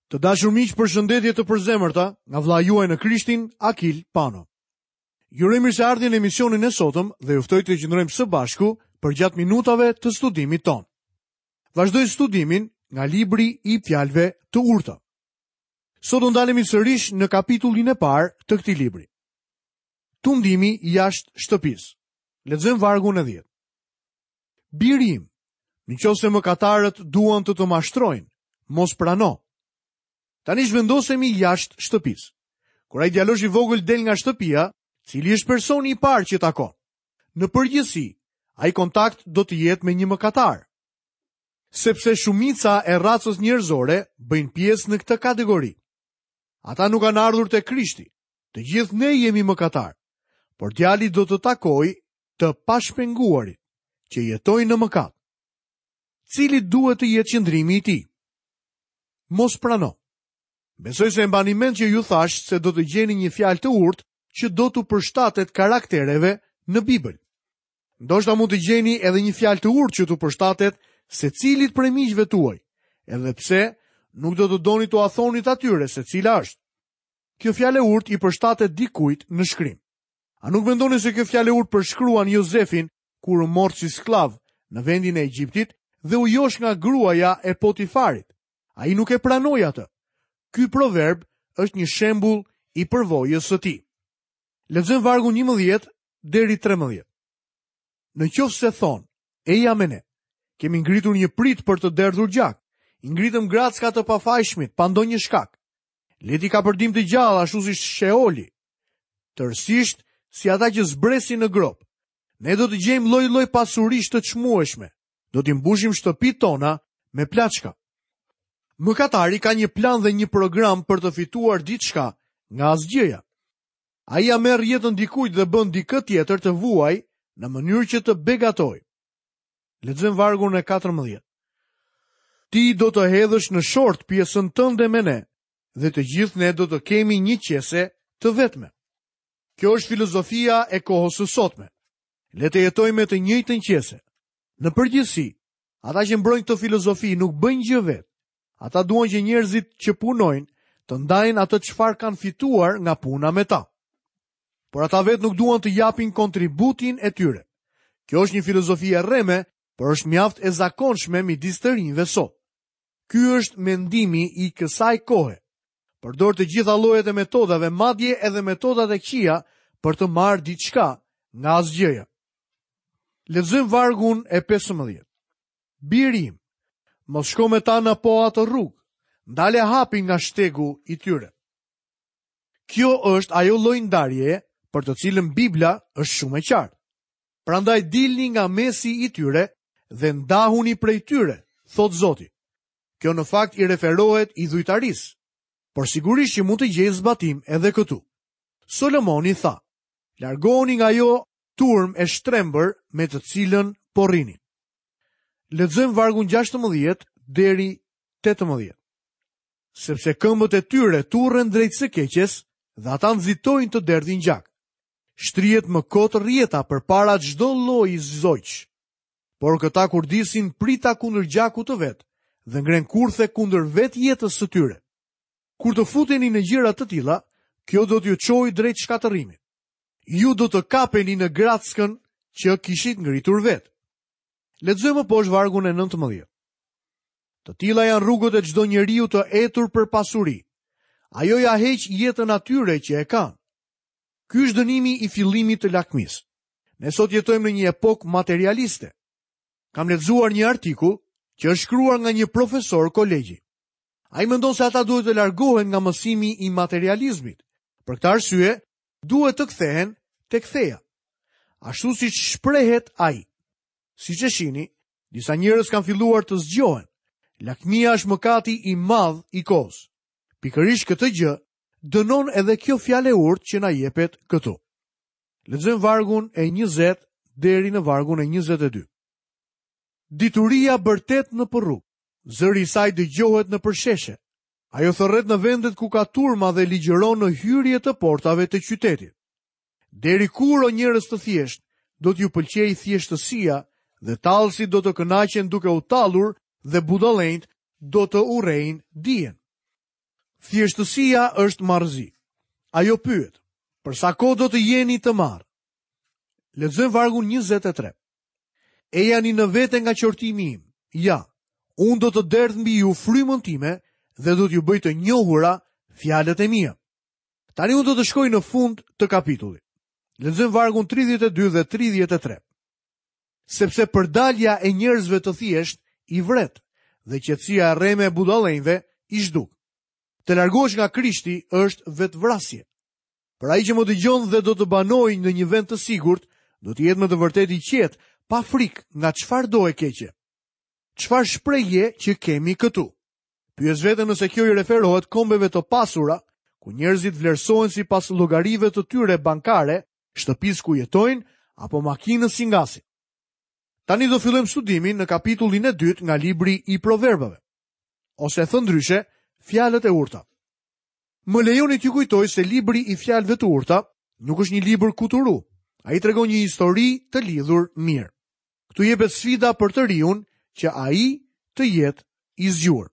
Të dashur miq, përshëndetje të përzemërta nga vëllai juaj në Krishtin, Akil Pano. Ju uroj mirëseardhjen në emisionin e sotëm dhe ju ftoj të qëndrojmë së bashku përgjatë minutave të studimit tonë. Vazhdoj studimin nga libri i fjalëve të urta. Sot do ndalemi sërish në kapitullin e parë të këtij libri. Tundimi jashtë shtëpisë. Lexojmë vargun e 10. Biri im, në qoftë se mëkatarët duan të të mashtrojnë, mos prano. Tani zhvendosemi jashtë shtëpisë. Kur ai djalosh i vogël del nga shtëpia, cili është personi i parë që takon? Në përgjithësi, ai kontakt do të jetë me një mëkatar. Sepse shumica e racës njerëzore bëjnë pjesë në këtë kategori. Ata nuk kanë ardhur te Krishti. Të gjithë ne jemi mëkatarë. Por djalli do të takojë të pashpenguarit që jetojnë në mëkat. Cili duhet të jetë qëndrimi i tij? Mos prano. Besoj se e mbani mend që ju thashë se do të gjeni një fjalë të urtë që do t'u përshtatet karaktereve në Bibël. Ndoshta mund të gjeni edhe një fjalë të urtë që t'u përshtatet secilit prej miqve tuaj, edhe pse nuk do të doni t'ua thonit atyre se cila është. Kjo fjalë e urtë i përshtatet dikujt në shkrim. A nuk mendoni se kjo fjalë e urtë përshkruan Jozefin kur u mor si skllav në vendin e Egjiptit dhe u josh nga gruaja e Potifarit? Ai nuk e pranoi atë. Ky proverb është një shembull i përvojës së tij. Lexojmë vargun 11 deri 13. Në qoftë se thonë, eja me ne, kemi ngritur një pritë për të derdhur gjak, i ngritëm gracka të pafajshmit, pa ndonjë shkak. Le t'i kapërdim të gjallë ashtu si Sheoli, tërësisht si ata që zbresin në gropë. Ne do të gjejmë lloj-lloj pasurish të çmueshme, do t'i mbushim shtëpitë tona me plaçka. Mëkatari ka një plan dhe një program për të fituar diçka nga asgjëja. Ai ia merr jetën dikujt dhe bën dikë tjetër të vuajë në mënyrë që të begatojë. Lexojmë vargun e 14. Ti do të hedhësh në short pjesën tënde me ne dhe të gjithë ne do të kemi një qese të vetme. Kjo është filozofia e kohës së sotme. Le të jetojmë me të njëjtën qese. Në përgjithësi, ata që mbrojnë këtë filozofi nuk bëjnë gjë vetë. Ata duan që njerëzit që punojnë të ndajnë atë çfarë kanë fituar nga puna me ta. Por ata vetë nuk duan të japin kontributin e tyre. Kjo është një filozofi e rreme, por është mjaft e zakonshme midis të rinjve sot. Ky është mendimi i kësaj kohe. Përdor të gjitha llojet e metodave, madje edhe metodat e këqija për të marrë diçka nga asgjëja. Lexojmë vargun e 15. Biri im, mos shko me ta në po atë rrugë, ndale hapin nga shtegu i tyre. Kjo është ajo lloj ndarjeje për të cilën Bibla është shumë e qartë. Prandaj dilni nga mesi i tyre dhe ndahuni prej tyre, thotë Zoti. Kjo në fakt i referohet idhujtarisë, por sigurisht që mund të gjejë zbatim edhe këtu. Solomoni tha, largohuni nga ajo turmë e shtrembër me të cilën po rrini. Lexojmë vargun 16 deri 18. Sepse këmbët e tyre turren drejt së keqes dhe ata nxitojnë të derdhin gjak. Shtrihet më kot rrjeta përpara çdo lloji zogjsh. Por këta kurdisin prita kundër gjakut të vet dhe ngrenë kurthe kundër vetë jetës së tyre. Kur të futeni në gjëra të tilla, kjo do t'ju çojë drejt shkatërrimit. Ju do të kapeni në grackën që kishit ngritur vetë. Lexojmë më poshtë vargun e 19. Të tilla janë rrugët e çdo njeriu të etur për pasuri. Ajo ia heq jetën atyre që e kanë. Ky është dënimi i fillimit të lakmisë. Ne sot jetojmë në një epokë materialiste. Kam lexuar një artikull që është shkruar nga një profesor kolegji. Ai mendon se ata duhet të largohen nga mësimi i materializmit. Për këtë arsye, duhet të kthehen tek feja. Ashtu siç shprehet ai. Siç e shihni, disa njerëz kanë filluar të zgjohen. Lakmia është mëkati i madh i kohës. Pikërisht këtë gjë dënon edhe kjo fjalë e urtë që na jepet këtu. Lexojmë vargun e 20 deri në vargun e 22. Dituria bërtet nëpër rrugë. Zëri i saj dëgjohet nëpër sheshe. Ajo thërret në vendet ku ka turma dhe ligjëron në hyrje të portave të qytetit. Deri kur o njerëz të thjeshtë, do t'ju pëlqejë thjeshtësia dhe tallësit do të kënaqen duke u tallur dhe budallenjtë do të urrejnë dijen. Thjeshtësia është marrëzi. Ajo pyet, për sa kohë do të jeni të marrë? Lexojmë vargun 23. Ejani në vete nga qortimi im. Ja, unë do të derdh mbi ju frymën time dhe do t'ju bëj të njohura fjalët e mia. Tani unë do të shkoj në fund të kapitullit. Lexojmë vargun 32 dhe 33. Sepse përdalja e njerëzve të thjeshtë i vret dhe qetësia e rreme e budallenjve i zhduk. Të largohesh nga Krishti është vetëvrasje. Por ai që më dëgjon dhe do të banojë në një vend të sigurt, do të jetë me të vërtetë i qetë, pa frikë nga çfarëdo e keqe. Çfarë shprehje që kemi këtu? Pyes veten nëse kjo i referohet kombeve të pasura, ku njerëzit vlerësohen sipas llogarive të tyre bankare, shtëpisë ku jetojnë apo makinës që ngasin. Tani do fillojmë studimin në kapitullin e dytë nga libri i Proverbave. Ose thënë ndryshe, fjalët e urta. Më lejoni t'ju kujtoj se libri i fjalëve të urta nuk është një libër kuturu. Ai tregon një histori të lidhur mirë. Këtu jepet sfida për të riun që ai të jetë i zgjuar.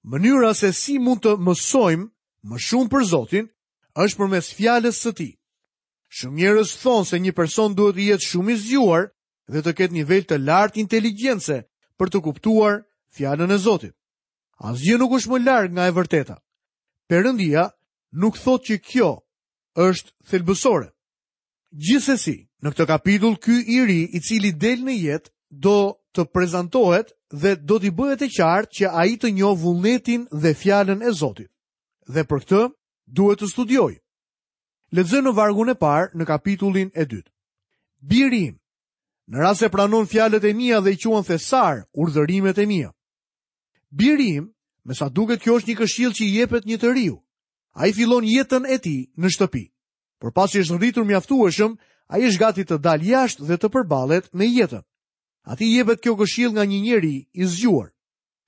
Mënyra se si mund të mësojmë më shumë për Zotin është përmes fjalës së tij. Shumë njerëz thonë se një person duhet të jetë shumë i zgjuar dhe të ketë nivel të lartë inteligjence për të kuptuar fjalën e Zotit. Asgjë nuk është më larg nga e vërteta. Perëndia nuk thotë që kjo është thelbësore. Gjithsesi, në këtë kapitull ky i ri i cili del në jetë do të prezantohet dhe do t'i bëhet e qartë që ai të njohë vullnetin dhe fjalën e Zotit. Dhe për këtë duhet të studiojë. Lexojmë në vargun e parë në kapitullin e dytë. Biri im, në rast se pranon fjalët e mia dhe i quan thesar urdhërimet e mia. Biri im, me sa duket kjo është një këshillë që i jepet një të riu. Ai fillon jetën e tij në shtëpi. Por pasi është rritur mjaftueshëm, ai është gati të dalë jashtë dhe të përballet me jetën. Atij i jepet kjo këshillë nga një njeri i zgjuar.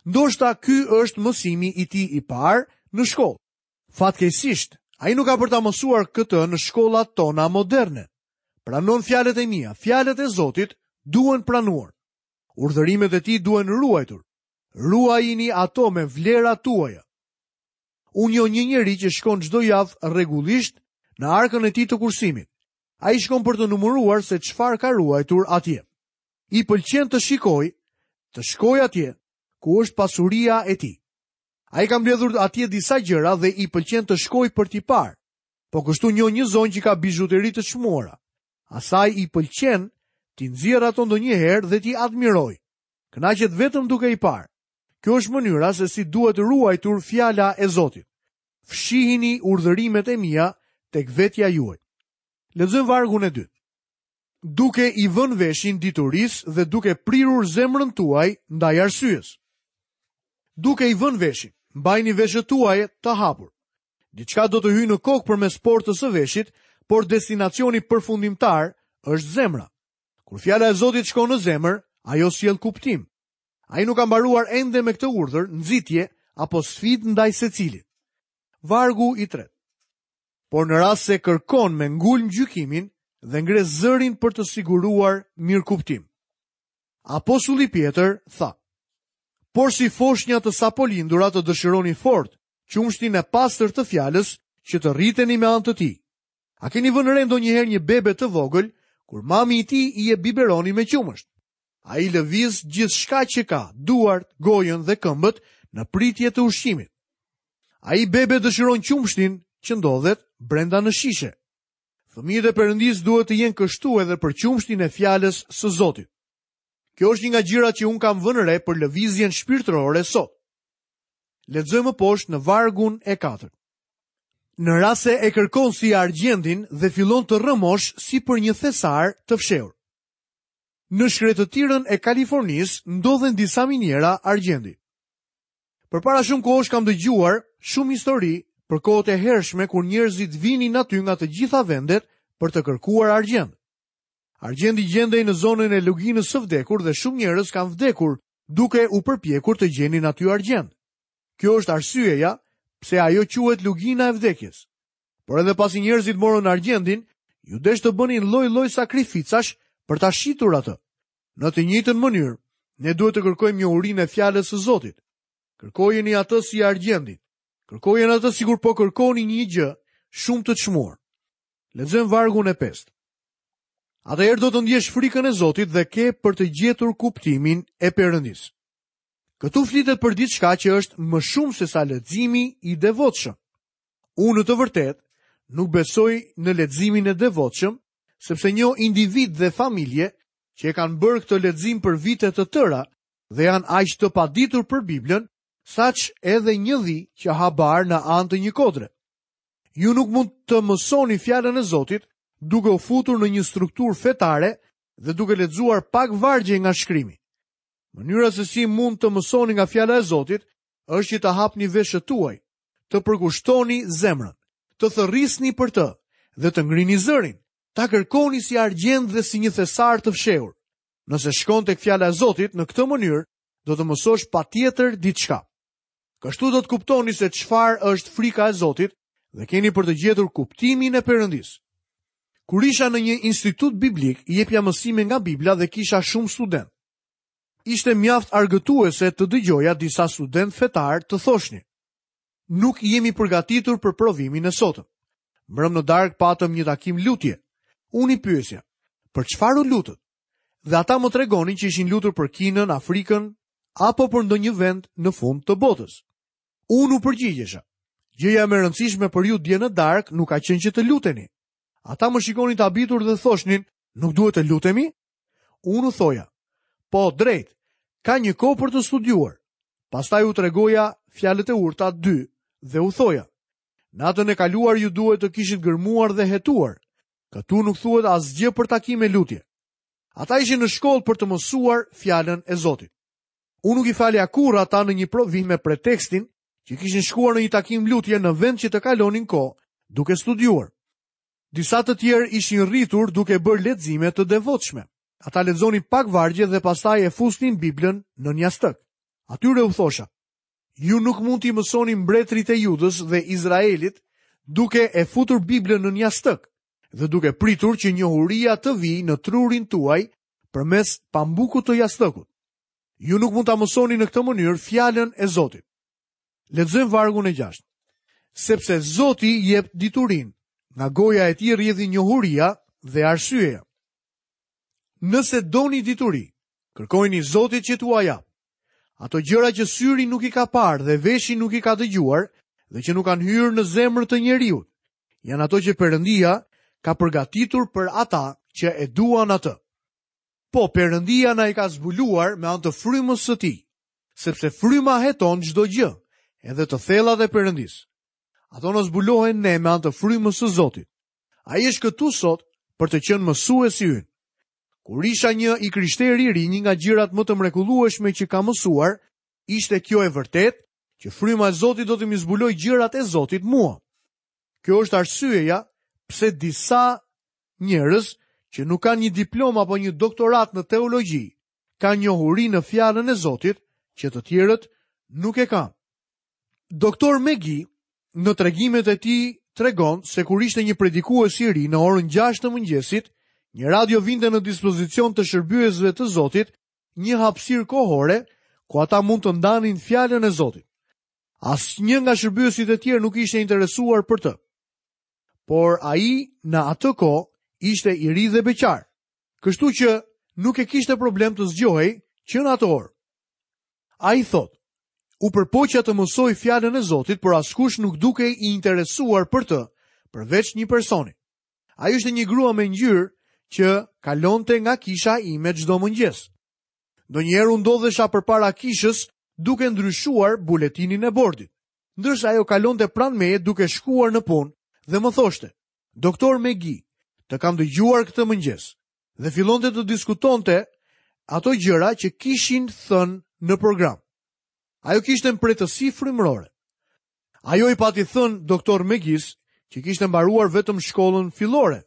Ndoshta ky është mësimi i tij i parë në shkollë. Fatkeqësisht, ai nuk ka për ta mësuar këtë në shkollat tona moderne. Pranon fjalët e mia, fjalët e Zotit duhen pranuar. Urdhërimet e tij duhen ruajtur. Ruajini ato me vlerat tuaja. Unë njoh një njeri që shkon çdo javë rregullisht në arkën e tij të kursimit. Ai shkon për të numëruar se çfarë ka ruajtur atje. I pëlqen të shikojë, të shkojë atje ku është pasuria e tij. Ai ka mbledhur atje disa gjëra dhe i pëlqen të shkojë për t'i parë. Po kështu njoh një zonjë që ka bizhuteri të çmuara. Asaj i pëlqen t'i nxjerrë ato ndonjëherë dhe t'i admirojë. Kënaqet vetëm duke i parë. Kjo është mënyra se si duhet ruajtur fjala e Zotit. Fshihini urdhërimet e mia tek vetja juaj. Lexojmë vargun e dytë. Duke i vënë veshin diturisë dhe duke prirur zemrën tuaj ndaj arsyes. Duke i vënë veshin, mbajini veshët tuaj të hapur. Diçka do të hyjë në kokë përmes portës së veshit, por destinacioni përfundimtar është zemra. Kur fjala e Zotit shkon në zemër, ajo sjell kuptim. Ai nuk ka mbaruar ende me këtë urdhër, nxitje apo sfidë ndaj secilit. Vargu i tretë. Por në rast se kërkon me ngulm gjykimin dhe ngre zërin për të siguruar mirëkuptim. Apostulli Pjetër tha: Por si foshnja të sapolindura të dëshironi fort qumështin e pastër të fjalës që të rriteni me anë të tij. A keni vënë re ndonjëherë një bebe të vogël kur mami i tij i jep biberonin me qumësht? Ai lëviz gjithçka që ka, duart, gojën dhe këmbët në pritje të ushqimit. Ai bebe dëshiron qumështin që ndodhet brenda në shishe. Fëmijët e Perëndisë duhet të jenë kështu edhe për qumështin e fjalës së Zotit. Kjo është një nga gjërat që unë kam vënë re për lëvizjen shpirtërore sot. Lexojmë më poshtë në vargun e katërt. Në rast se e kërkon si argjendin dhe fillon të rrëmosh si për një thesar të fshehur. Në shkretëtirën e Kalifornisë ndodhen disa miniera argjendi. Përpara shumë kohësh kam dëgjuar shumë histori për kohët e hershme kur njerëzit vinin aty nga të gjitha vendet për të kërkuar argjend. Argjendi gjendej në zonën e luginës së vdekur dhe shumë njerëz kanë vdekur duke u përpjekur të gjenin aty argjend. Kjo është arsyeja pse ajo quhet lugina e vdekjes. Por edhe pasi njerëzit morën argjendin, iu desh të bënin lloj-lloj sakrificash për ta shitur atë. Në të njëjtën mënyrë, ne duhet të kërkojmë njohurinë e fjalës së Zotit. Kërkojeni atë si argjendin. Kërkojeni atë sikur po kërkoni një gjë shumë të çmuar. Lexojmë vargun e pestë. Atëherë do të ndjesh frikën e Zotit dhe ke për të gjetur kuptimin e Perëndisë. Këtu flitet për diçka që është më shumë sesa leximi i devotshëm. Unë në të vërtetë nuk besoj në leximin e devotshëm, sepse njoh individë dhe familje që e kanë bërë këtë lexim për vite të tëra dhe janë aq të paditur për Biblën, saç edhe një dhi që ha bar në anë të një kodre. Ju nuk mund të mësoni fjalën e Zotit duke u futur në një strukturë fetare dhe duke lexuar pak vargje nga shkrimi. Mënyra se si mund të mësoni nga fjala e Zotit është që të hapni veshët tuaj, të përkushtoni zemrën, të thërrisni për të dhe të ngrini zërin, ta kërkoni si argjend dhe si një thesar të fshehur. Nëse shkon tek fjala e Zotit në këtë mënyrë, do të mësosh patjetër diçka. Kështu do të kuptoni se çfarë është frika e Zotit dhe keni për të gjetur kuptimin e Perëndisë. Kur isha në një institut biblik, jepja mësime nga Bibla dhe kisha shumë studentë. Ishte mjaft argëtuese të dëgjoja disa studentë fetarë të thoshnin: Nuk jemi përgatitur për provimin e sotëm. Mbrëmë në darkë patëm një takim lutje. Unë i pyesja: Për çfarë u lutët? Dhe ata më tregonin që ishin lutur për Kinën, Afrikën apo për ndonjë vend në fund të botës. Unë u përgjigjesha. Gjëja më e rëndësishme për ju dje në darkë nuk ka qenë që të luteni. Ata më shikonin të habitur dhe thoshnin, nuk duhet të lutemi? Unë u thoja, po, drejt, ka një kohë për të studiuar. Pastaj u tregoja fjalët e urta 2 dhe u thoja, natën e kaluar ju duhet të kishit gërmuar dhe hetuar. Këtu nuk thuhet asgjë për takime lutje. Ata ishin në shkollë për të mësuar fjalën e Zotit. Unë nuk i falja kurrë ata në një provim me pretekstin që kishin shkuar në një takim lutje në vend që të kalonin kohë duke studiuar. Disa të tjerë ishin rritur duke bërë lexime të devotshme. Ata lexonin pak vargje dhe pastaj e fusnin Biblën nën jastëk. Atyre u thosha, ju nuk mund t'i mësoni mbretërit e Judës dhe Izraelit duke e futur Biblën nën jastëk dhe duke pritur që njohuria të vijë në trurin tuaj përmes pambukut të jastëkut. Ju nuk mund ta mësoni në këtë mënyrë fjalën e Zotit. Lexojmë vargun e 6. Sepse Zoti jep diturinë, nga goja e tij rrjedhin njohuria dhe arsyeja. Nëse doni dituri, kërkojini Zotit që t'ua japë. Ato gjëra që syri nuk i ka parë dhe veshi nuk i ka dëgjuar dhe që nuk kanë hyrë në zemër të njeriut, janë ato që Perëndia ka përgatitur për ata që e duan atë. Po, Perëndia na i ka zbuluar me anë të frymës së tij, sepse fryma heton çdo gjë, edhe të thellat e Perëndisë. Ato na zbulohen ne me anë të frymës së Zotit. Ai është këtu sot për të qenë mësuesi ynë. Kur isha një i krishterë i ri, një nga gjërat më të mrekullueshme që kam mësuar, ishte kjo e vërtetë që fryma e Zotit do të m'i zbulojë gjërat e Zotit mua. Kjo është arsyeja pse disa njerëz që nuk kanë një diplomë apo një doktoratë në teologji, kanë njohuri në fjalën e Zotit që të tjerët nuk e kanë. Doktor Megi në tregimet e tij tregon se kur ishte një predikues i ri në orën 6 të mëngjesit, një radio vinte në dispozicion të shërbyesve të Zotit një hapësirë kohore ku ata mund të ndanin fjalën e Zotit. Asnjë nga shërbyesit e tjerë nuk ishte interesuar për të. Por ai në atë kohë ishte i ri dhe beqar. Kështu që nuk e kishte problem të zgjohej që në atë orë. Ai thotë, u përpoqa të mësoj fjalën e Zotit, por askush nuk dukej i interesuar për të, përveç një personi. Ajo ishte një grua me ngjyrë që kalonte nga kisha ime çdo mëngjes. Ndonjëherë unë ndodhesha përpara kishës duke ndryshuar buletinin e bordit, ndërsa ajo kalonte pranë meje duke shkuar në punë dhe më thoshte, Doktor Megi, të kam dëgjuar këtë mëngjes. Dhe fillonte të diskutonte ato gjëra që kishin thënë në program. Ajo kishte mprehtësi frymërore. Ajo i pati thënë doktor Megisë që kishte mbaruar vetëm shkollën fillore.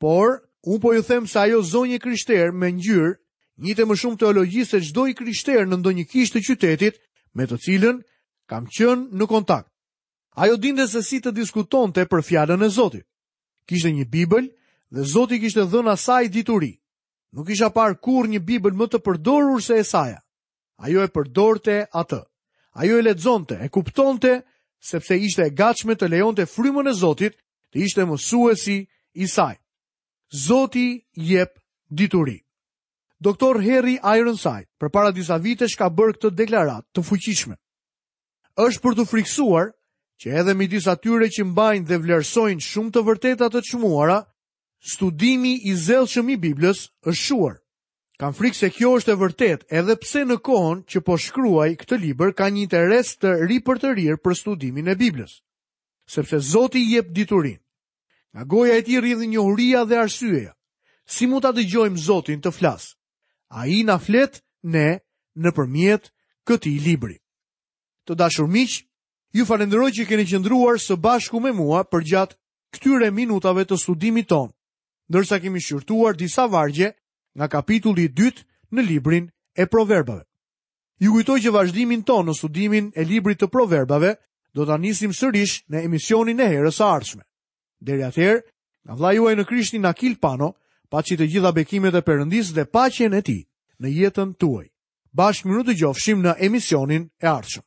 Por, unë po ju them se ajo zonjë e krishterë me ngjyrë njihte më shumë teologji se çdo i krishterë në ndonjë kishë të qytetit me të cilën kam qenë në kontakt. Ajo dinte se si të diskutonte për fjalën e Zotit. Kishte një Bibël dhe Zoti i kishte dhënë asaj dituri. Nuk kisha parë kurrë një Bibël më të përdorur se e saja. Ajo e përdorte atë. Ajo e lexonte, e kuptonte sepse ishte e gatshme të lejonte frymën e Zotit të ishte mësuesi i saj. Zoti jep dituri. Doktor Harry Ironside përpara disa vitesh ka bërë këtë deklaratë të fuqishme. Është për t'u frikësuar që edhe midis atyre që mbajnë dhe vlerësojnë shumë të vërteta të çmuara, studimi i zellshëm i Biblës është shuar. Kam frikë se kjo është e vërtetë edhe pse në kohën që po shkruaj këtë libër ka një interes të ripërtërirë për studimin e Biblës. Sepse Zoti jep diturinë. Nga goja e tij rrjedhin njohuria dhe arsyeja. Si mund ta dëgjojmë Zotin të flasë? Ai na flet ne nëpërmjet këtij libri. Të dashur miq, ju falënderoj që keni qëndruar së bashku me mua përgjatë këtyre minutave të studimit tonë, ndërsa kemi shqyrtuar disa vargje nga kapitulli i dytë në librin e Proverbave. Ju kujtoj që vazhdimin tonë në studimin e librit të Proverbave do ta nisim sërish në emisionin e herës së ardhshme. Deri atëherë, nga vëllai juaj në Krishtin Akil Pano, paçi të gjitha bekimet e Perëndisë dhe paqen e tij në jetën tuaj. Bashkë mirudëgjofshim në emisionin e ardhshëm.